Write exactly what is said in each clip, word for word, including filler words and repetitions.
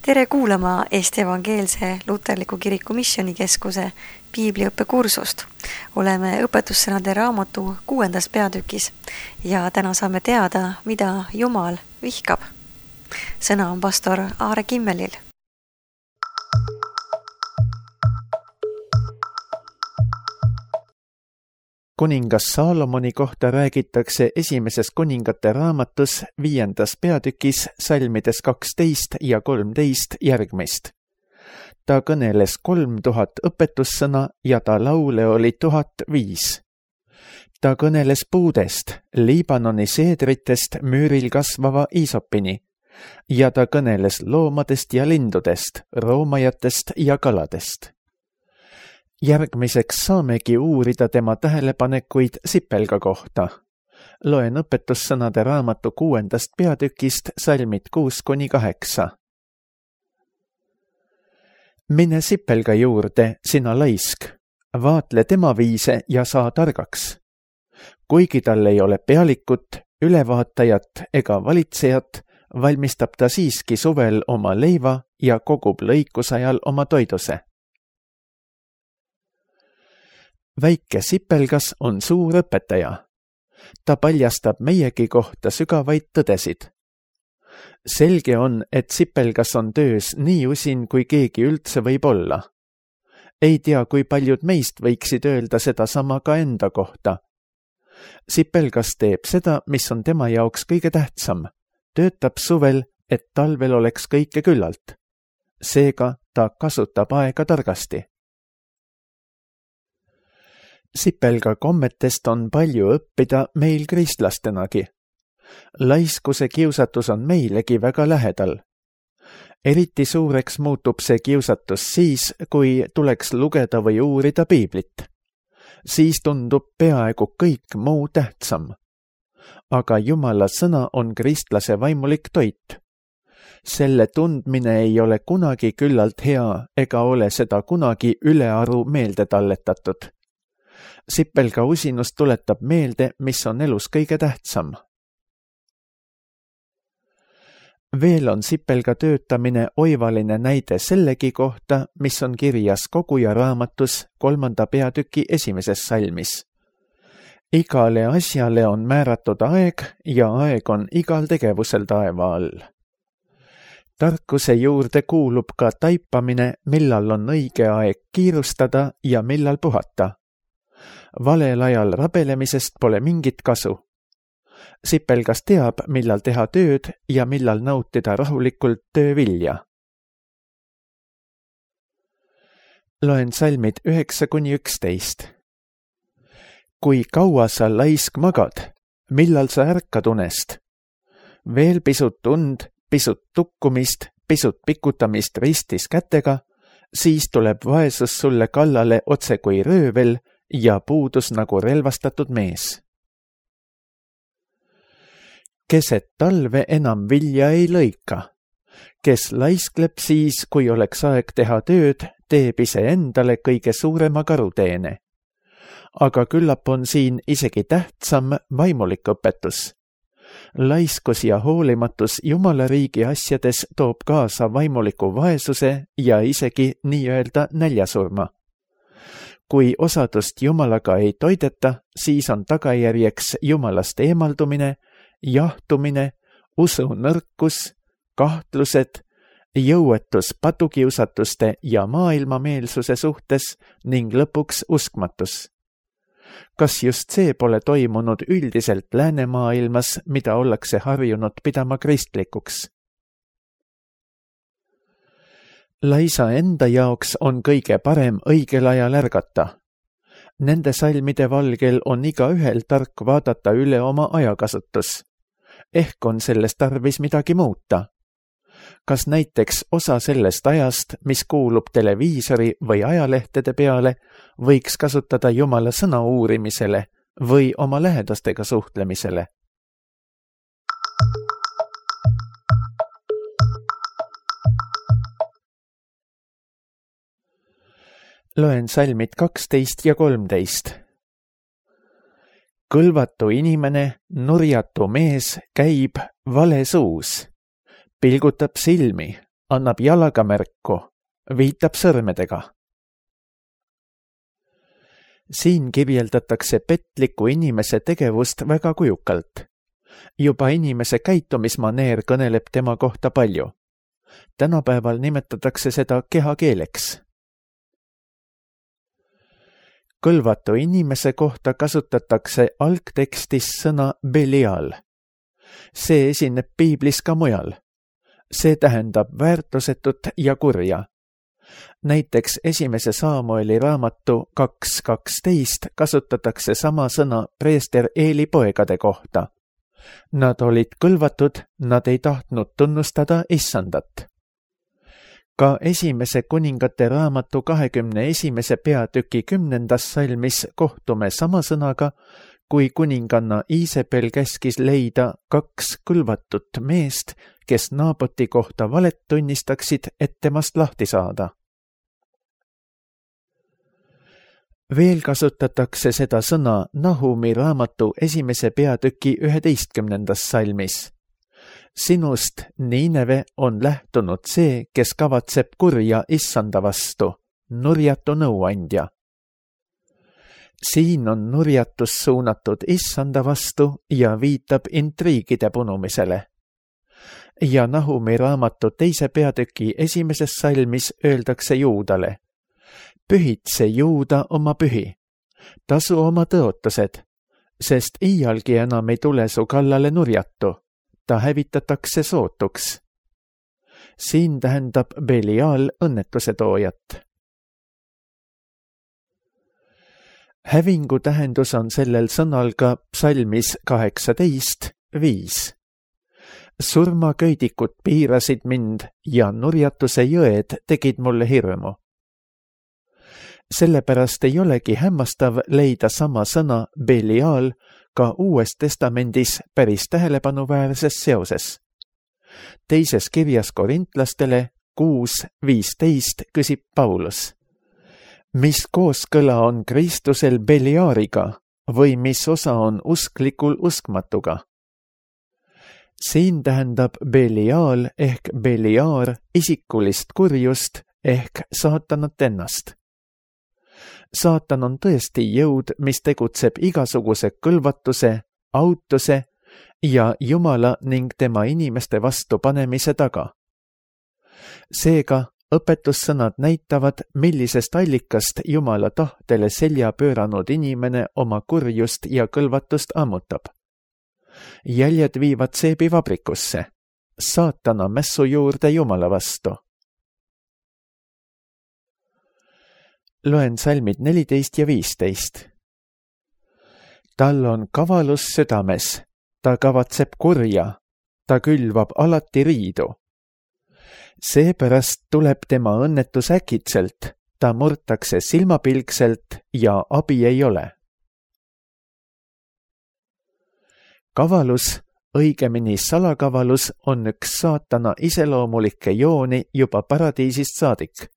Tere kuulama Eesti Evangeelse Luterliku Kiriku Missioonikeskuse piibliõppekursust. Oleme õpetussõnade raamatu kuuendas peatükis ja täna saame teada, mida Jumal vihkab. Sõna on pastor Aare Kimmelil. Kuningas Saalomoni kohta räägitakse esimeses kuningate raamatus viiendas peatükis salmides kaksteist ja kolmteist järgmist. Ta kõneles kolm tuhat õpetussõna ja ta laule oli tuhat viis. Ta kõneles puudest, Liibanoni seedritest müüril kasvava iisopini ja ta kõneles loomadest ja lindudest, roomajatest ja kaladest. Järgmiseks saamegi uurida tema tähelepanekuid sipelga kohta. Loen õpetussõnade raamatu kuuendast peatükist salmid kuus kuni kaheksa. Mine sipelga juurde, sina laisk, vaatle tema viise ja saa targaks. Kuigi tal ei ole pealikut, ülevaatajat ega valitsejat, valmistab ta siiski suvel oma leiva ja kogub lõikusajal oma toiduse. Väike sipelgas on suur õpetaja. Ta paljastab meiegi kohta sügavaid tõdesid. Selge on, et sipelgas on töös nii usin, kui keegi üldse võib olla. Ei tea, kui paljud meist võiksid öelda seda sama ka enda kohta. Sipelgas teeb seda, mis on tema jaoks kõige tähtsam. Töötab suvel, et talvel oleks kõike küllalt. Seega ta kasutab aega targasti. Sipelga kommetest on palju õppida meil kristlastenagi. Laiskuse kiusatus on meilegi väga lähedal. Eriti suureks muutub see kiusatus siis, kui tuleks lugeda või uurida piiblit. Siis tundub peaaegu kõik muu tähtsam. Aga Jumala sõna on kristlase vaimulik toit. Selle tundmine ei ole kunagi küllalt hea ega ole seda kunagi ülearu meelde talletatud. Sipelga usinus tuletab meelde, mis on elus kõige tähtsam. Veel on sipelga töötamine oivaline näide sellegi kohta, mis on kirjas Koguja raamatus kolmanda peatüki esimeses salmis. Igale asjale on määratud aeg ja aeg on igal tegevusel taeva all. Tarkuse juurde kuulub ka taipamine, millal on õige aeg kiirustada ja millal puhata. Valel ajal rabelemisest pole mingit kasu. Sipelgas teab, millal teha tööd ja millal nautida rahulikult töövilja. Loen salmid üheksa kuni üksteist. Kui kaua sa laisk magad, millal sa ärkad unest? Veel pisut und, pisut tukkumist, pisut pikutamist ristis kätega, siis tuleb vaesus sulle kallale otse kui röövel ja puudus nagu relvastatud mees. Keset talve enam vilja ei lõika. Kes laiskleb siis, kui oleks aeg teha tööd, teeb ise endale kõige suurema karuteene. Aga küllap on siin isegi tähtsam vaimulik õpetus. Laiskus ja hoolimatus Jumala riigi asjades toob kaasa vaimuliku vaesuse ja isegi nii-öelda näljasurma. Kui osadust Jumalaga ei toideta, siis on tagajärjeks Jumalast eemaldumine, jahtumine, usu nõrkus, kahtlused, jõuetus patukiusatuste ja maailmameelsuse suhtes ning lõpuks uskmatus. Kas just see pole toimunud üldiselt läänemaailmas, mida ollakse harjunud pidama kristlikuks? Laisa enda jaoks on kõige parem õigel ajal ärgata. Nende salmide valgel on iga ühel tark vaadata üle oma ajakasutus. Ehk on sellest tarvis midagi muuta. Kas näiteks osa sellest ajast, mis kuulub televiisori või ajalehtede peale, võiks kasutada Jumala sõna uurimisele või oma lähedastega suhtlemisele? Loen salmid kaksteist ja kolmteist. Kõlvatu inimene, nurjatu mees käib vale suus. pilgutab silmi, annab jalaga märku, viitab sõrmedega. Siin kirjeldatakse petliku inimese tegevust väga kujukalt. Juba inimese käitumismaneer kõneleb tema kohta palju. Tänapäeval nimetatakse seda kehakeeleks. Kõlvatu inimese kohta kasutatakse algtekstis sõna Belial. See esineb piiblis ka mujal. See tähendab väärtusetut ja kurja. Näiteks esimese Saamueli raamatu kaks kaksteist kasutatakse sama sõna preester Eeli poegade kohta. Nad olid kõlvatud, nad ei tahtnud tunnustada issandat. Ka esimese kuningate raamatu kahekümne esimese peatüki kümnendas salmis kohtume sama sõnaga, kui kuninganna Iisabel käskis leida kaks kõlvatut meest, kes Naaboti kohta valet tunnistaksid, et temast lahti saada. Veel kasutatakse seda sõna Nahumi raamatu esimese peatüki üheteistkümnendas salmis. Sinust, Niineve, on lähtunud see, kes kavatseb kurja issanda vastu, nurjatu nõuandja. Siin on nurjatus suunatud issanda vastu ja viitab intriigide punumisele. Ja Nahumi raamatu teise peatüki esimeses salmis öeldakse Juudale: pühitse Juuda oma pühi, tasu oma tõotused, sest iialgi enam ei tule su kallale nurjatu, ta hävitatakse sootuks. Siin tähendab Belial õnnetuse toojat. Hävingu tähendus on sellel sõnal ka psalmis kaheksateist viis. Surmaköidikud piirasid mind ja nurjatuse jõed tegid mulle hirmu. Sellepärast ei olegi hämmastav leida sama sõna Belial ka Uues Testamendis päris tähelepanuväärses seoses. Teises kirjas korintlastele kuus viisteist küsib Paulus: mis kooskõla on Kristusel Beliariga või mis osa on usklikul uskmatuga? Siin tähendab Belial ehk Beliar isikulist kurjust ehk saatanat ennast. Saatan on tõesti jõud, mis tegutseb igasuguse kõlvatuse, autuse ja Jumala ning tema inimeste vastu panemise taga. Seega õpetussõnad näitavad, millisest allikast Jumala tahtele selja pööranud inimene oma kurjust ja kõlvatust ammutab. Jäljed viivad seebivabrikusse, saatana mässu juurde Jumala vastu. Loen salmid neliteist ja viisteist. Tal on kavalus südames, ta kavatseb kurja, ta külvab alati riidu. Seepärast tuleb tema õnnetus äkitselt, ta murtakse silmapilkselt ja abi ei ole. Kavalus, õigemini salakavalus, on üks saatana iseloomulikke jooni juba paradiisist saadik.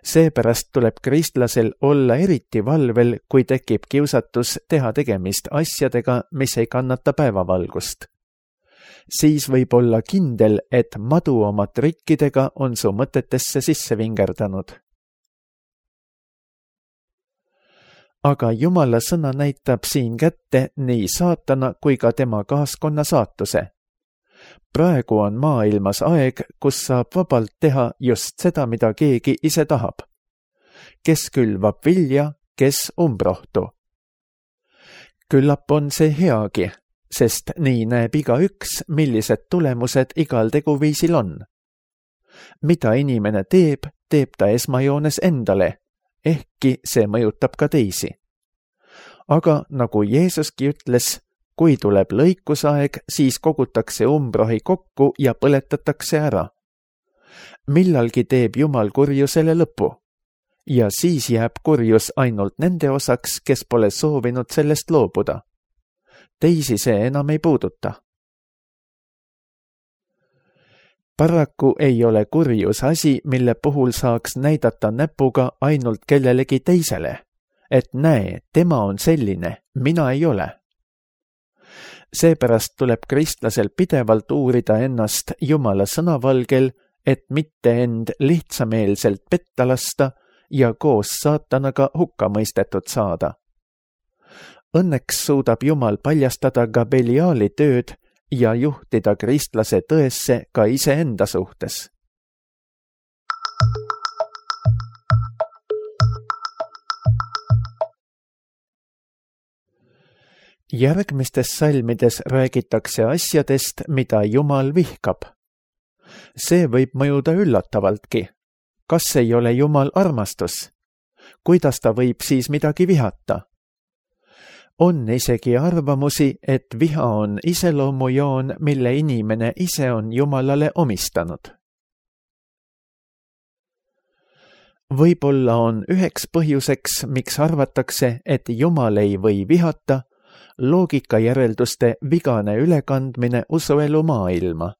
Seepärast tuleb kristlasel olla eriti valvel, kui tekib kiusatus teha tegemist asjadega, mis ei kannata päevavalgust. Siis võib olla kindel, et madu oma trikkidega on su mõtetesse sisse vingerdanud. Aga Jumala sõna näitab siin kätte nii saatana kui ka tema kaaskonna saatuse. Praegu on maailmas aeg, kus saab vabalt teha just seda, mida keegi ise tahab. Kes külvab vilja, kes umbrohtu. Küllap on see heagi, sest nii näeb igaüks, millised tulemused igal teguviisil on. Mida inimene teeb, teeb ta esmajoones endale, ehkki see mõjutab ka teisi. Aga nagu Jeesuski ütles, kui tuleb lõikusaeg, siis kogutakse umbrohi kokku ja põletatakse ära. Millalgi teeb Jumal kurjusele lõpu ja siis jääb kurjus ainult nende osaks, kes pole soovinud sellest loobuda. Teisi see enam ei puuduta. Paraku ei ole kurjus asi, mille puhul saaks näidata näpuga ainult kellelegi teisele, et näe, tema on selline, mina ei ole. Seepärast tuleb kristlasel pidevalt uurida ennast Jumala sõnavalgel et mitte end lihtsameelselt petta lasta ja koos saatanaga hukka mõistetud saada. Õnneks suudab Jumal paljastada ka Beliali tööd ja juhtida kristlase tõesse ka iseenda suhtes. Järgmistes salmides räägitakse asjadest, mida Jumal vihkab. See võib mõjuda üllatavaltki. Kas ei ole Jumal armastus? Kuidas ta võib siis midagi vihata? On isegi arvamusi, et viha on iseloomujoon, mille inimene ise on Jumalale omistanud. Võib-olla on üheks põhjuseks, miks arvatakse, et Jumal ei või vihata, loogikajärelduste vigane ülekandmine usuelu maailma.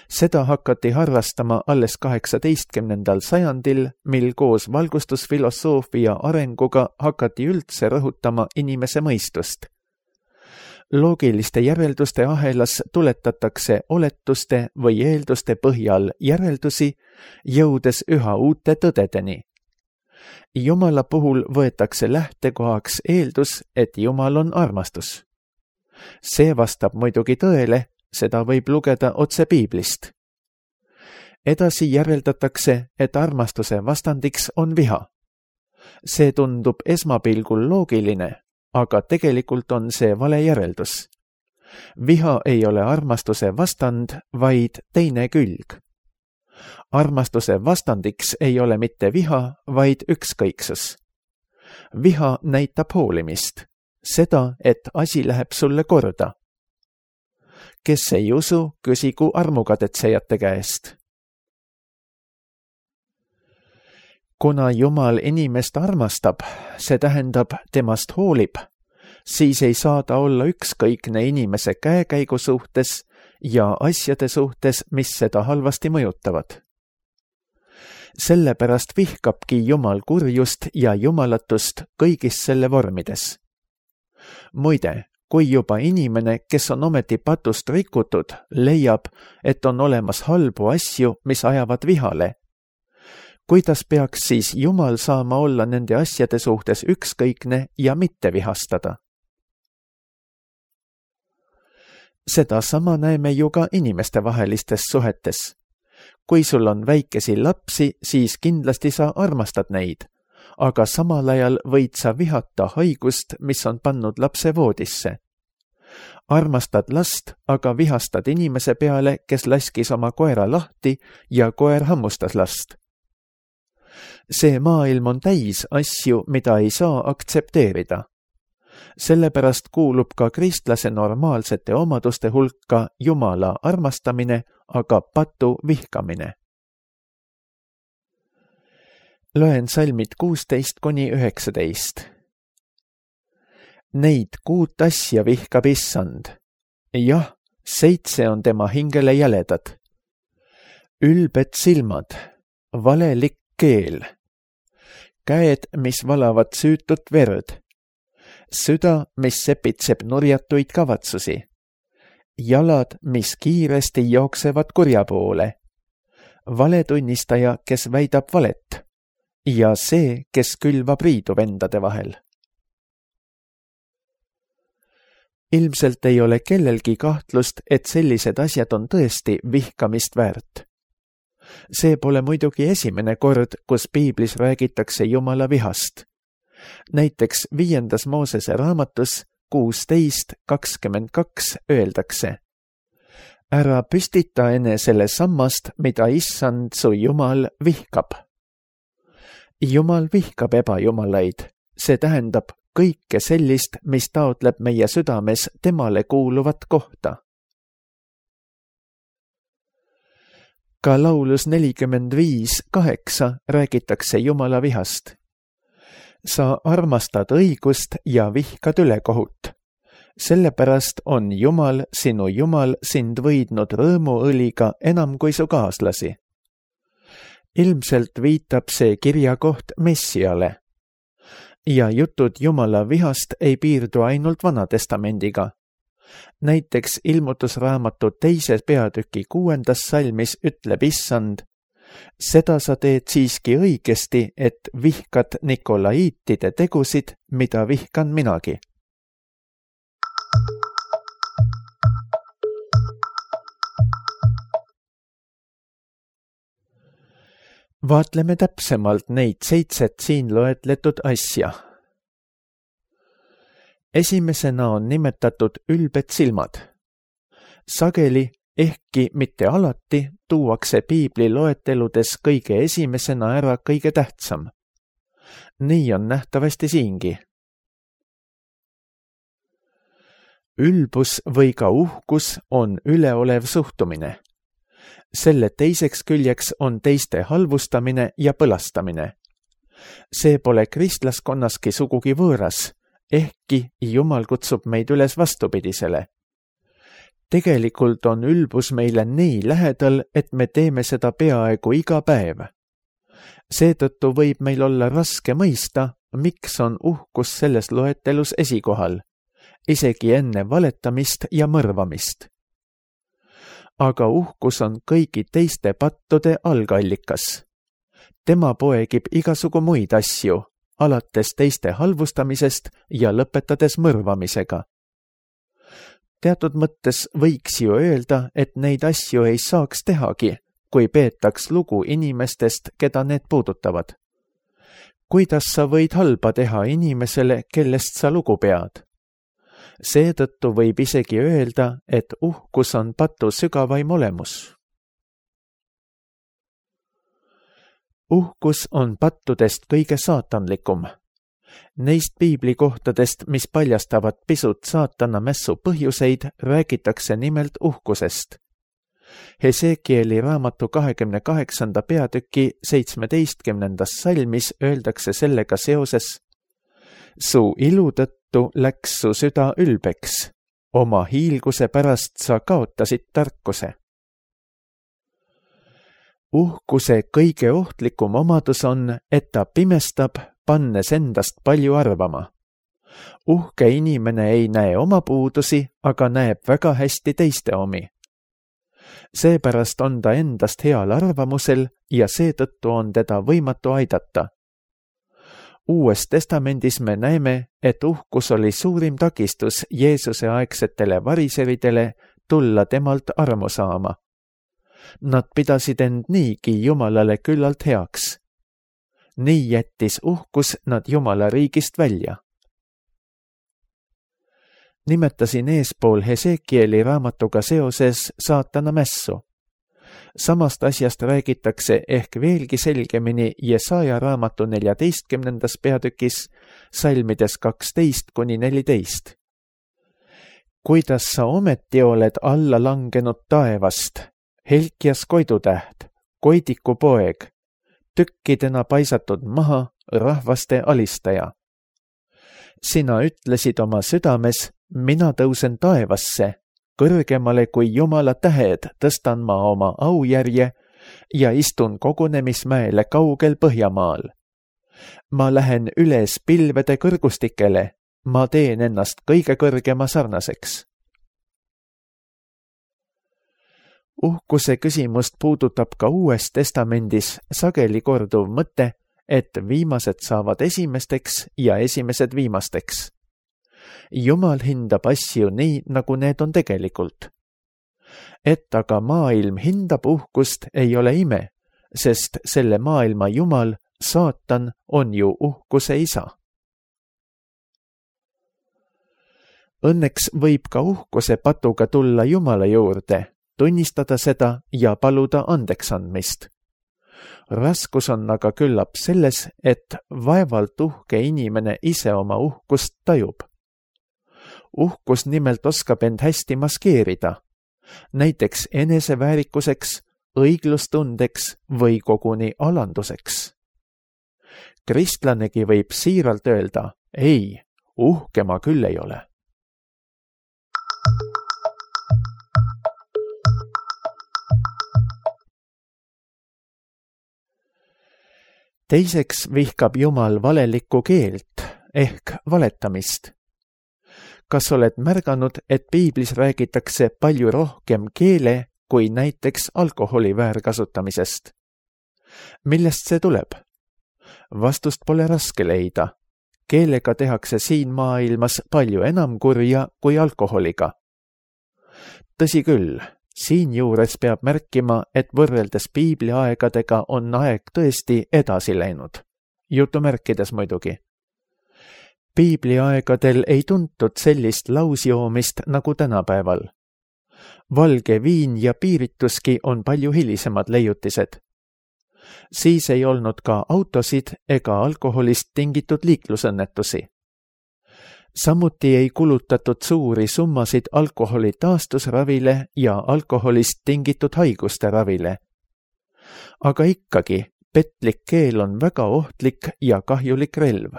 Seda hakati harrastama alles kaheksateistkümnendal sajandil, mil koos valgustusfilosoofia arenguga hakati üldse rõhutama inimese mõistust. Loogiliste järelduste ahelas tuletatakse oletuste või eelduste põhjal järeldusi, jõudes üha uute tõdedeni. Jumala puhul võetakse lähtekohaks eeldus, et Jumal on armastus. See vastab muidugi tõele, seda võib lugeda otse piiblist. Edasi järeldatakse, et armastuse vastandiks on viha. See tundub esmapilgul loogiline, aga tegelikult on see vale järeldus. Viha ei ole armastuse vastand, vaid teine külg. Armastuse vastandiks ei ole mitte viha, vaid ükskõiksus. Viha näitab hoolimist, seda, et asi läheb sulle korda. Kes ei usu, küsigu armukadetsejate käest. Kuna Jumal inimest armastab, see tähendab temast hoolib, siis ei saa ta olla ükskõikne inimese käekäigu suhtes ja asjade suhtes, mis seda halvasti mõjutavad. Sellepärast vihkabki Jumal kurjust ja jumalatust kõigis selle vormides. Muide, kui juba inimene, kes on ometi patust rikutud, leiab, et on olemas halbu asju, mis ajavad vihale, kuidas peaks siis Jumal saama olla nende asjade suhtes ükskõikne ja mitte vihastada? Seda sama näeme ju ka inimestevahelistes suhetes. Kui sul on väikesi lapsi, siis kindlasti sa armastad neid, aga samal ajal võid sa vihata haigust, mis on pannud lapse voodisse. Armastad last, aga vihastad inimese peale, kes laskis oma koera lahti ja koer hammustas last. See maailm on täis asju, mida ei saa aktsepteerida. Sellepärast kuulub ka kristlase normaalsete omaduste hulka Jumala armastamine, aga patu vihkamine. Loen salmid kuusteist kuni üheksateist. Neid kuut asja vihkab issand. Jah, seitse on tema hingele jäledad. Ülbed silmad, valelik keel, käed, mis valavad süütut verd, süda, mis sepitseb nurjatuid kavatsusi, jalad, mis kiiresti jooksevad kurja poole, valetunnistaja, kes väidab valet, ja see, kes külvab riidu vendade vahel. Ilmselt ei ole kellelgi kahtlust, et sellised asjad on tõesti vihkamist väärt. See pole muidugi esimene kord, kus piiblis räägitakse Jumala vihast. Näiteks viiendas Moosese raamatus kuusteist kakskümmend kaks öeldakse: ära püstita enesele sammast, mida issand su Jumal vihkab. Jumal vihkab ebajumalaid, see tähendab kõike sellist, mis taotleb meie südames temale kuuluvat kohta. Ka laulus nelikümmend viis kaheksa räägitakse Jumala vihast. Sa armastad õigust ja vihkad ülekohut. Sellepärast on Jumal, sinu Jumal, sind võidnud rõõmuõliga enam kui su kaaslasi. Ilmselt viitab see kirjakoht Messiale. Ja jutud Jumala vihast ei piirdu ainult Vana Testamendiga. Näiteks ilmutusraamatu teise peatüki kuuendas salmis ütleb issand: seda sa teed siiski õigesti, et vihkad nikolaiitide tegusid, mida vihkan minagi. Vaatleme täpsemalt neid seitset siin loetletud asja. Esimesena on nimetatud ülbed silmad. Sageli, ehkki mitte alati, tuuakse piibli loeteludes kõige esimesena ära kõige tähtsam. Nii on nähtavasti siingi. Ülbus või ka uhkus on üleolev suhtumine. Selle teiseks küljeks on teiste halvustamine ja põlastamine. See pole kristlaskonnaski sugugi võõras, ehkki Jumal kutsub meid üles vastupidisele. Tegelikult on ülbus meile nii lähedal, et me teeme seda peaaegu iga päev. Seetõttu võib meil olla raske mõista, miks on uhkus selles loetelus esikohal, isegi enne valetamist ja mõrvamist. Aga uhkus on kõigi teiste pattude algallikas. Tema poegib igasugu muid asju, alates teiste halvustamisest ja lõpetades mõrvamisega. Teatud mõttes võiks ju öelda, et neid asju ei saaks tehagi, kui peetaks lugu inimestest, keda need puudutavad. Kuidas sa võid halba teha inimesele, kellest sa lugu pead? Seetõttu võib isegi öelda, et uhkus on patu sügavaim olemus. Uhkus on pattudest kõige saatanlikum. Neist piiblikohtadest, mis paljastavad pisut saatana mässu põhjuseid, räägitakse nimelt uhkusest. Hesekieli raamatu kahekümne kaheksanda peatüki seitsmeteistkümnendas salmis öeldakse sellega seoses: su ilu tõttu läks su süda ülbeks, oma hiilguse pärast sa kaotasid tarkuse. Uhkuse kõige ohtlikum omadus on, et ta pimestab, pannes endast palju arvama. Uhke inimene ei näe oma puudusi, aga näeb väga hästi teiste omi. Seepärast on ta endast heal arvamusel ja seetõttu on teda võimatu aidata. Uues testamendis me näeme, et uhkus oli suurim takistus Jeesuse aegsetele variseridele tulla temalt armu saama. Nad pidasid end niigi Jumalale küllalt heaks. Nii jättis uhkus nad Jumala riigist välja. Nimetasin eespool Hesekieli raamatuga seoses saatana mässu. Samast asjast räägitakse ehk veelgi selgemini Jesaja raamatu neljateistkümnendas peatükis, salmides kaksteist kuni neliteist. Kuidas sa ometi oled alla langenud taevast, Helkias koidutäht, koidiku poeg, tükkidena paisatud maha rahvaste alistaja. Sina ütlesid oma südames, mina tõusen taevasse, kõrgemale kui Jumala tähed tõstan ma oma aujärje ja istun kogunemismäele kaugel Põhjamaal. Ma lähen üles pilvede kõrgustikele, ma teen ennast kõige kõrgema sarnaseks. Uhkuse küsimust puudutab ka Uues testamendis sageli korduv mõte, et viimased saavad esimesteks ja esimesed viimasteks. Jumal hindab asju nii, nagu need on tegelikult. Et aga maailm hindab uhkust, ei ole ime, sest selle maailma Jumal, saatan, on ju uhkuse isa. Õnneks võib ka uhkuse patuga tulla Jumala juurde, tunnistada seda ja paluda andeks andmist. Raskus on aga küllap selles, et vaevalt uhke inimene ise oma uhkust tajub. Uhkus nimelt oskab end hästi maskeerida, näiteks eneseväärikuseks, õiglustundeks või koguni alanduseks. Kristlanegi võib siiralt öelda, ei, uhke ma küll ei ole. Teiseks vihkab Jumal valelikku keelt ehk valetamist. kas oled märganud, et piiblis räägitakse palju rohkem keele kui näiteks alkoholi väärkasutamisest? Millest see tuleb? Vastust pole raske leida. Keelega tehakse siin maailmas palju enam kurja kui alkoholiga. Tõsi küll, siinjuures peab märkima, et võrreldes piibli aegadega on aeg tõesti edasi läinud. Jutumärkides muidugi. Piibli aegadel ei tuntud sellist lausjoomist nagu tänapäeval. Valge viin ja piirituski on palju hilisemad leiutised. Siis ei olnud ka autosid ega alkoholist tingitud liiklusõnnetusi. Samuti ei kulutatud suuri summasid alkoholi taastusravile ja alkoholist tingitud haiguste ravile. Aga ikkagi, petlik keel on väga ohtlik ja kahjulik relv.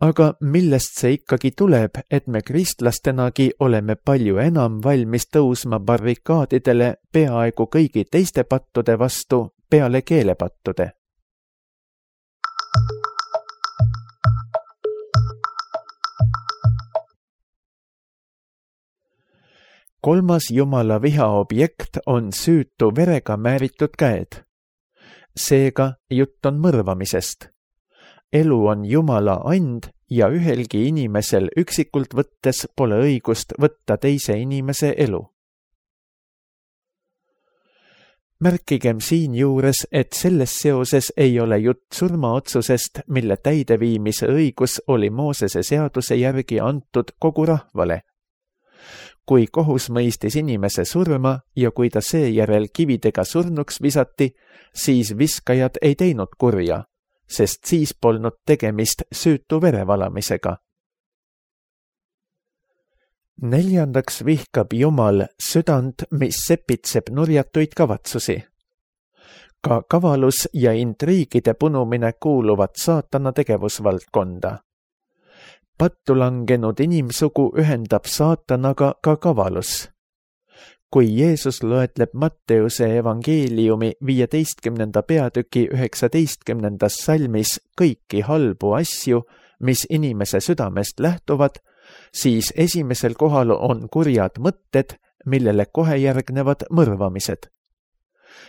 Aga millest see ikkagi tuleb, et me kristlastenagi oleme palju enam valmis tõusma barrikaadidele peaaegu kõigi teiste pattude vastu peale keelepattude? Kolmas Jumala viha objekt on süütu verega määritud käed. Seega jutt on mõrvamisest. Elu on Jumala and ja ühelgi inimesel üksikult võttes pole õigust võtta teise inimese elu. Märkigem siin juures, et selles seoses ei ole jutt surmaotsusest, mille täideviimise õigus oli Moosese seaduse järgi antud kogu rahvale. Kui kohus mõistis inimese surma ja kui ta seejärel kividega surnuks visati, siis viskajad ei teinud kurja, sest siis polnud tegemist süütu verevalamisega. Neljandaks vihkab Jumal südant, mis sepitseb nurjatuid kavatsusi. Ka kavalus ja intriigide punumine kuuluvad saatana tegevusvaldkonda. Pattu langenud inimsugu ühendab saatanaga ka kavalus. Kui Jeesus loetleb Matteuse evangeeliumi viieteistkümnenda peatüki üheksateistkümnendas salmis kõiki halbu asju, mis inimese südamest lähtuvad, siis esimesel kohal on kurjad mõtted, millele kohe järgnevad mõrvamised.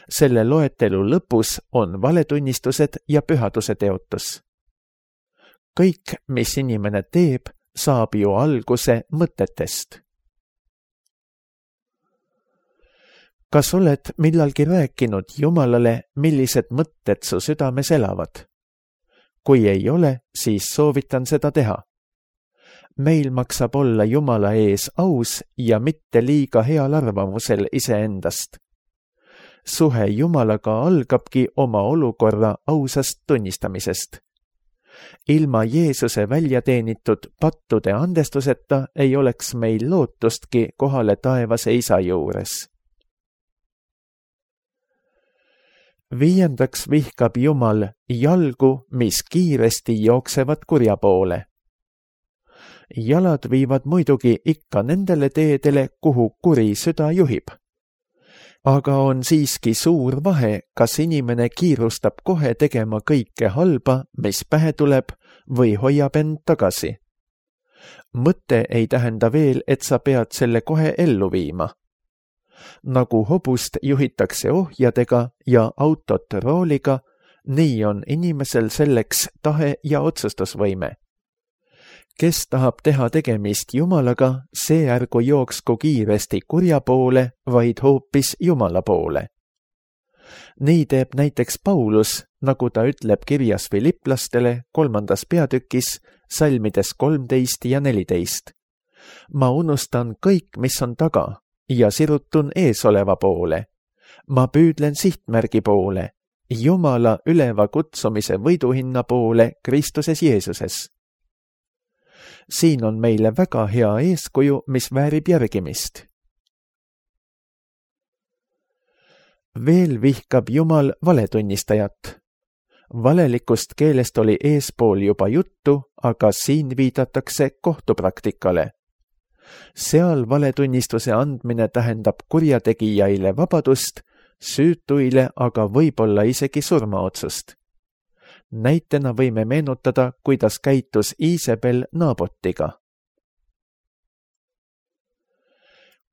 Selle loetelu lõpus on valetunnistused ja pühaduse teotus. Kõik, mis inimene teeb, saab ju alguse mõtetest. Kas oled millalgi rääkinud Jumalale, millised mõtted su südames elavad? Kui ei ole, siis soovitan seda teha. Meil maksab olla Jumala ees aus ja mitte liiga heal arvamusel iseendast. Suhe Jumalaga algabki oma olukorra ausast tunnistamisest. Ilma Jeesuse väljateenitud pattude andestuseta ei oleks meil lootustki kohale taevase isa juures. Viiendaks vihkab Jumal jalgu, mis kiiresti jooksevad kurja poole. Jalad viivad muidugi ikka nendele teedele, kuhu kuri süda juhib. Aga on siiski suur vahe, kas inimene kiirustab kohe tegema kõike halba, mis pähe tuleb, või hoiab end tagasi. Mõte ei tähenda veel, et sa pead selle kohe ellu viima. Nagu hobust juhitakse ohjadega ja autot rooliga, nii on inimesel selleks tahe ja otsustusvõime. Kes tahab teha tegemist Jumalaga, see ärgu jooksku kiiresti kurja poole, vaid hoopis Jumala poole. Nii teeb näiteks Paulus, nagu ta ütleb kirjas Filiplastele kolmandas peatükis, salmides kolmteist ja neliteist. Ma unustan kõik, mis on taga, ja sirutun eesoleva poole. Ma püüdlen sihtmärgi poole, Jumala üleva kutsumise võiduhinna poole Kristuses Jeesuses. Siin on meile väga hea eeskuju, mis väärib järgimist. Veel vihkab Jumal valetunnistajat. Valelikust keelest oli eespool juba juttu, aga siin viidatakse kohtupraktikale. Seal valetunnistuse andmine tähendab kurjategijaile vabadust, süütuile aga võib-olla isegi surmaotsust. Näitena võime meenutada, kuidas käitus Iisabel Naabotiga.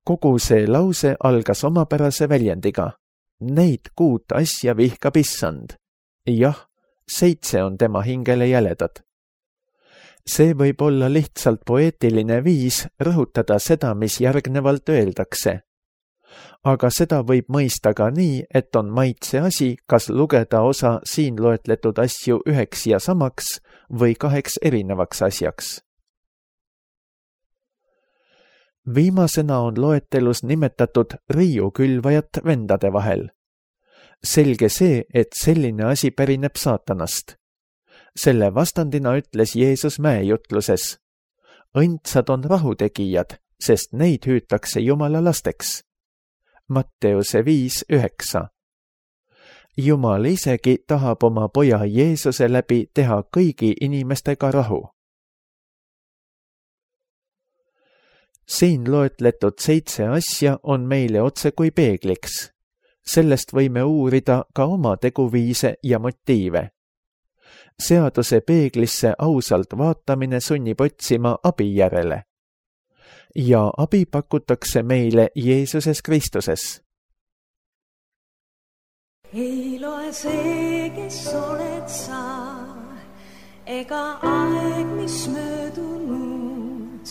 Kogu see lause algas omapärase väljendiga. Neid kuut asja vihkab issand. Jah, seitse on tema hingele jäledad. See võib olla lihtsalt poeetiline viis rõhutada seda, mis järgnevalt öeldakse. Aga seda võib mõista ka nii, et on maitse asi, kas lugeda osa siin loetletud asju üheks ja samaks või kaheks erinevaks asjaks. Viimasena on loetelus nimetatud riiukülvajat vendade vahel. Selge see, et selline asi pärineb saatanast. Selle vastandina ütles Jeesus mäejutluses. Õndsad on rahutegijad, sest neid hüütakse Jumala lasteks. Matteuse viis üheksa. Jumal isegi tahab oma poja Jeesuse läbi teha kõigi inimestega rahu. Siin loetletud seitse asja on meile otse kui peegliks. Sellest võime uurida ka oma teguviise ja motiive. Seaduse peeglisse ausalt vaatamine sunnib otsima abi järele. Ja abi pakutakse meile Jeesuses Kristuses. Ei loe see, kes oled sa, ega aeg, mis möödunud.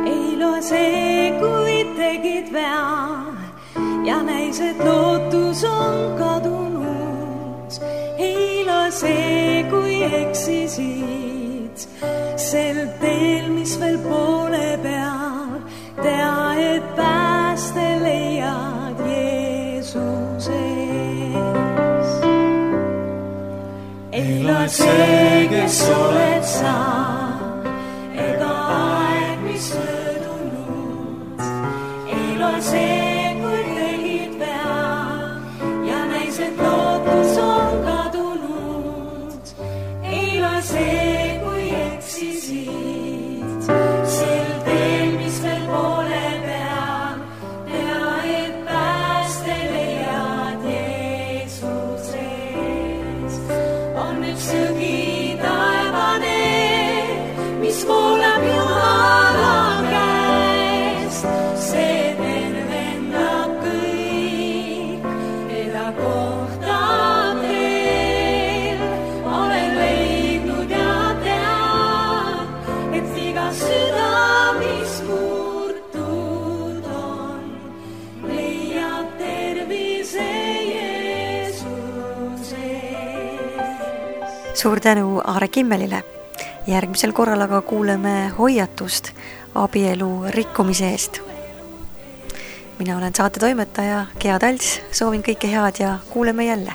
Ei loe see, kui tegid vea ja näis, et lootus on kadunud. Ei loe see, kui eksisid sel teel, mis veel poole peal. Tea, et pääste leiad Jeesuses. Ei loe see, kes oled sa, ega aeg, mis möödunud. Ei loe see, kui tegid vea ja näis, et lootus on kadunud. Ei loe see, kui eksisid sel teel, mis veel poole peal. Tea, et pääste leiad Jeesuses. On üks sõgi taevane, mis voolab Jumala käest. See tervendab kõik, keda kohtab veel. Olen leidnud ja tean, et iga süda, mis murtud on, leiab tervise Jeesuses. Suur tänu Aare Kimmelile. Järgmisel korral aga kuuleme hoiatust abielu rikkumise eest. Mina olen saate toimetaja Gea Talts, soovin kõike head ja kuuleme jälle.